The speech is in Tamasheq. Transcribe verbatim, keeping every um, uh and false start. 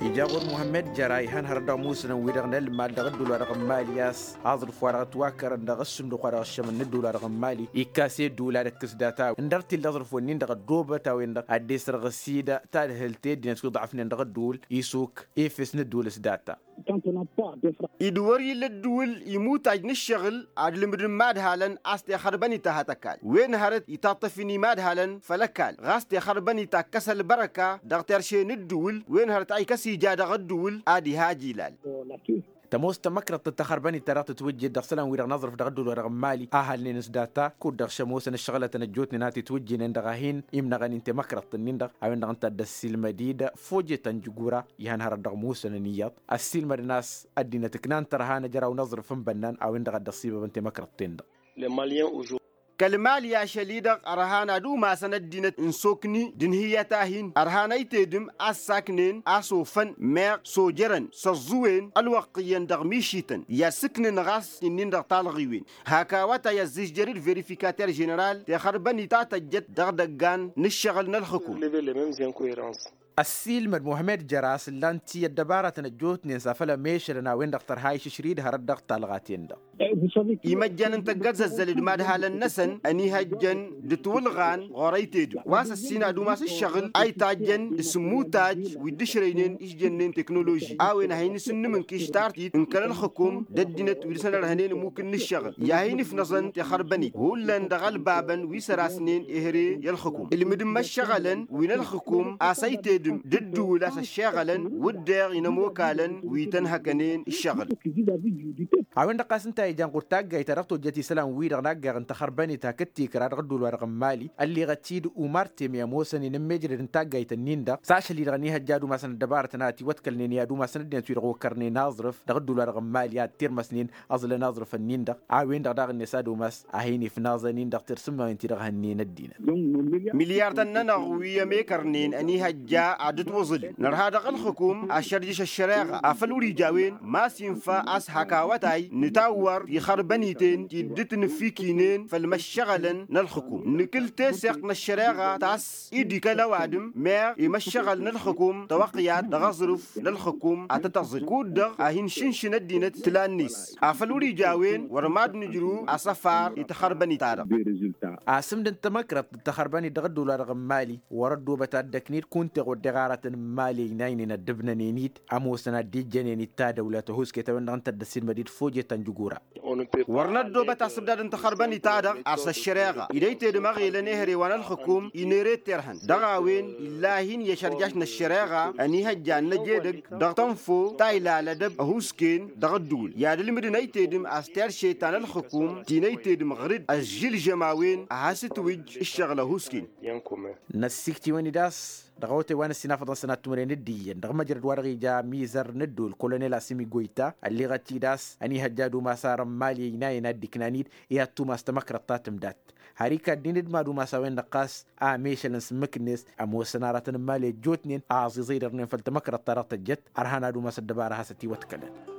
Ija ɣur-muhămmed jăra ihăn hărăt dăɣ-musǝnăn-wi-dăɣ n-ălmal dăɣ-ǝddǝwǝl-wa-dăɣ n-mali a-s aẓrǝf-wa-dăɣ ătwakărăn dăɣ-ǝssǝmdǝk-wa-dăɣ ăššămăn n-ǝddǝwǝl-wa-dăɣ n-mali ikkas i-ăddǝwǝl ad-ǝkkǝs data-wi ǝndăr t-illa aẓrǝf-wen-in-dăɣ ăddoobăt a-wen-dăɣ ad-dd-esrăɣ s-idă tadhǝlt i-ăddinăt wi ḍaɣăfnen dăɣ-ǝddǝwǝl isuk efes n-ǝddǝwǝl s-data. Id-wăr-illa ǝddǝwǝl imutaj n-ǝššăɣǝl ad-ǝlmǝdăn imadhalăn a-s tixărbănit a hat-ăkall wen hărăt itaṭṭăf-in imadhalăn făll-ăkall ɣas tixărbănit akkăs ălbărăka dăɣ-terše n-ǝddǝwǝl wen hărăt a ikăs ija dăɣ-ǝddǝwǝl ad-ihaj ilal. Tămoos tamăkrăḍt n-taxărbănit ta dăɣ-tǝtwǝjjed dăɣ-isălan-wi-dăɣ n-aẓrǝf dăɣ-ǝddǝwǝl-wa-dăɣ n-mali a halnen s-data kud-dăɣ šămoosăn ǝššăɣǝlătăn ăjjootnen a titwǝjjǝnen dăɣ-a hin-imnăɣăn-in temăkrăḍt-nin-dăɣ a-wen-dăɣ ǝnta a dd-ăssiilmăd-dd fojet ta n-jǝgura ihăn hărăt dăɣ-musănăn iyyăḍ ăssiilmădăn a-s ăddinăt ǝknan tărha n-ăjraw n-aẓrǝf n-bănnan a-wen-dăɣ a dd-ăṣṣibăbăn temăkrăḍt-ten-dăɣ. Kăl-mali ašăl-i-dăɣ ărhan ad-umasăn ăddinăt n-sokni d-ǝnhǝyyăt a hin-ărhan ăytedǝm a ǝssaknen a-s ofăn meɣ s-ojărăn s-ăẓẓuwen ălwăqq iyyăn dăɣ-mišităn i-ad-sǝknǝn ɣas ǝnnin-dăɣ talɣiwen. Hak awătay ăzzižjăr-dd verifikater ženeral tixărbănit ta tăjjăt dăɣ-idăggan n-ǝššăɣǝl n-ălxǝkum. Ăssiilmăd muhămed jăr-as ǝllan-t i-ăddăbaratăn ăjjootnen s-afăl ămešălăn a-wen-dăɣ tărha išǝšri d-hărăt dăɣ-talɣaten-dăɣ. Imăjjan n-tăggărzăzzăl d-imadhalăn-năsăn ănihăjjăn d-ătwǝlɣan ɣur-ăytedǝm wa s-ăssin ad-umas ǝššăɣǝl a itajjăn d-sǝmmutaj wi dd-ǝšrăynen išjănnen teknoloži a-wen a hin-isǝnnǝmǝnkiš tartit n-kăl-ălxǝkum d-ăddinăt wi dăr-săn ărhănen ămmuk n-ǝššăɣǝl i-ad-hin-ifnăẓăn tixărbănit hullan dăɣ-ălbabăn wi sărasnen ehăre i-ălxǝkum ǝlmǝd n-imăššăɣălăn wi n-ălxǝkum a-s ăytedǝm d-ǝddǝwǝl a-s ăššeɣălăn wǝddeɣ inămokalăn wi tăn-hăkănen ǝššăɣǝl. A-wen-dăɣ ɣas ǝnta a ijan ɣur-taggayt ta dăɣ-tojjăt isălan-wi-dăɣ n-aggaɣ n-taxărbănit hakd tikra dăɣ-ǝddǝwǝl-wa-dăɣ n-mali ălleɣăt-dd umar teme ămoosăn-in n-mejrăd n-taggayt-nin-dăɣ s-ašăl-i-dăɣ ănihăjja ad-umasăn ăddăbarătăn a ătiwăḍkălnen i-ad-umasăn ăddinăt-wi-dăɣ okărnen aẓrǝf dăɣ-ǝddǝwǝl-wa-dăɣ n-mali ad-tirmăsnen ăẓlăn aẓrǝf-nin-dăɣ a-wen-dăɣ daɣ-net ad-umas a hin-ifnaẓăn-in dăɣ-tirsǝmmawen-ti-dăɣ hănnen ăddinăt. Milyar tănnănăɣ wi ămekărnen ănihăjja ad-ǝtwǝẓǝlăn nărha dăɣ-ălxǝkum ašărjǝš ăššăreɣa afăl wăr-ija a-wen ma s-infa a-s hak awătay nǝtawwăr tixărbăniten ti dd-ǝtnǝfikinen făll-imăššăɣălăn n-ălxǝkum nǝkǝl teseɣt n-ăššăreɣa ta s-dd-ikăl ăwadǝm meɣ imăššăɣăl n-ălxǝkum tawăqyat dăɣ-aẓrǝf n-ălxǝkum ad-tăt-ăẓǝl kud-dăɣ a hin-išǝnšǝn ăddinăt tǝla-net afăl wăr-ija a-wen wăr mad-nǝjrǝw asăfar i-taxărbănit-ta-dăɣ. Asǝmd n-tamăkrăḍt d-taxărbănit dăɣ-ăddăwla-dăɣ n-mali wăr-ăddoobăt ad-dd-ăkned kunta i-ɣur-deɣ aratăn n-mali ăynaynen ăddǝbnănen-dd ămoosăn ad-dd-ijjănen d-tadăwla tăhuusket a-wen-dăɣ ǝnta a dd-ăssiilmăd-dd fojet ta n-jugura. Wăr năddoobăt asǝbdad n-taxărbănit-ta-dăɣ ar s-ăššăreɣa ed ăytedăm ăɣelăn ehăre wa n-ălxǝkum inerăy tirhăn dăɣ-a-wen illa a hin-iyyăšărjaš n-ăššăreɣa ănihăjja ad-năj edăgg dăɣ-tănfo ta ilal ădăb ăhuusken dăɣ-ǝddǝwǝl i-ad-ǝlmǝdăn ăytedăm a-s terše ta n-ălxǝkum ti n-ăytedăm ɣǝr-dd ăžžǝlžăm a-wen a has-ǝtwǝjj ǝššăɣǝl ăhuusken. Năssikt'-iwăn-dd a-s dăɣ-awătay wa n-ăssinafăḍăn sănat timǝrwen d-iyyăn dăɣ-măjrăd-wa-dăɣ ija mizăr n-ǝddǝwǝl kolonel asǝmi goyta ălleɣăt-dd a-s ănihăjja ad-umas ar n-mali ăynayăn ad-dd-iknan-dd i-ad-tumas tamăkrăḍt ta tǝmdat har ikaddin d-mad-umas a-wen-dăɣ ɣas a mešălăn s-ǝmmǝk-net ămoosăn aratăn n-mali ăjjootnen a ăẓiẓăydărnen făll-tamăkrăḍt-ta-dăɣ tăjjăt ărhan ad-umas ăddăbara a has-ătiwăḍkălăn.